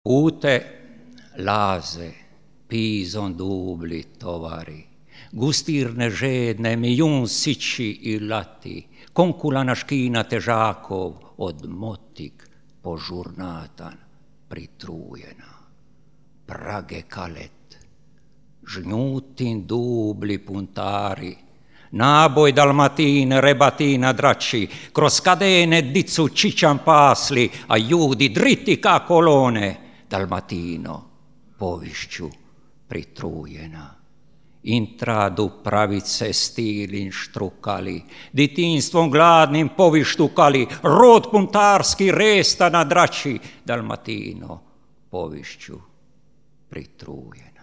Ute laze, pison dubli tovari, gustirne žedne mijun sići i lati, konkula na škina težakov od motik požurnatan pritrujena. Prage kalet, žnjutin dubli puntari, naboj dalmatine, rebatina drači, kroz kadene dicu čičan pasli, a ljudi driti ka kolone, Dalmatino povišću pritrujena. Intradu pravice stilin štrukali, ditinstvom gladnim povištukali, rod puntarski resta na drači, Dalmatino povišću pritrujena.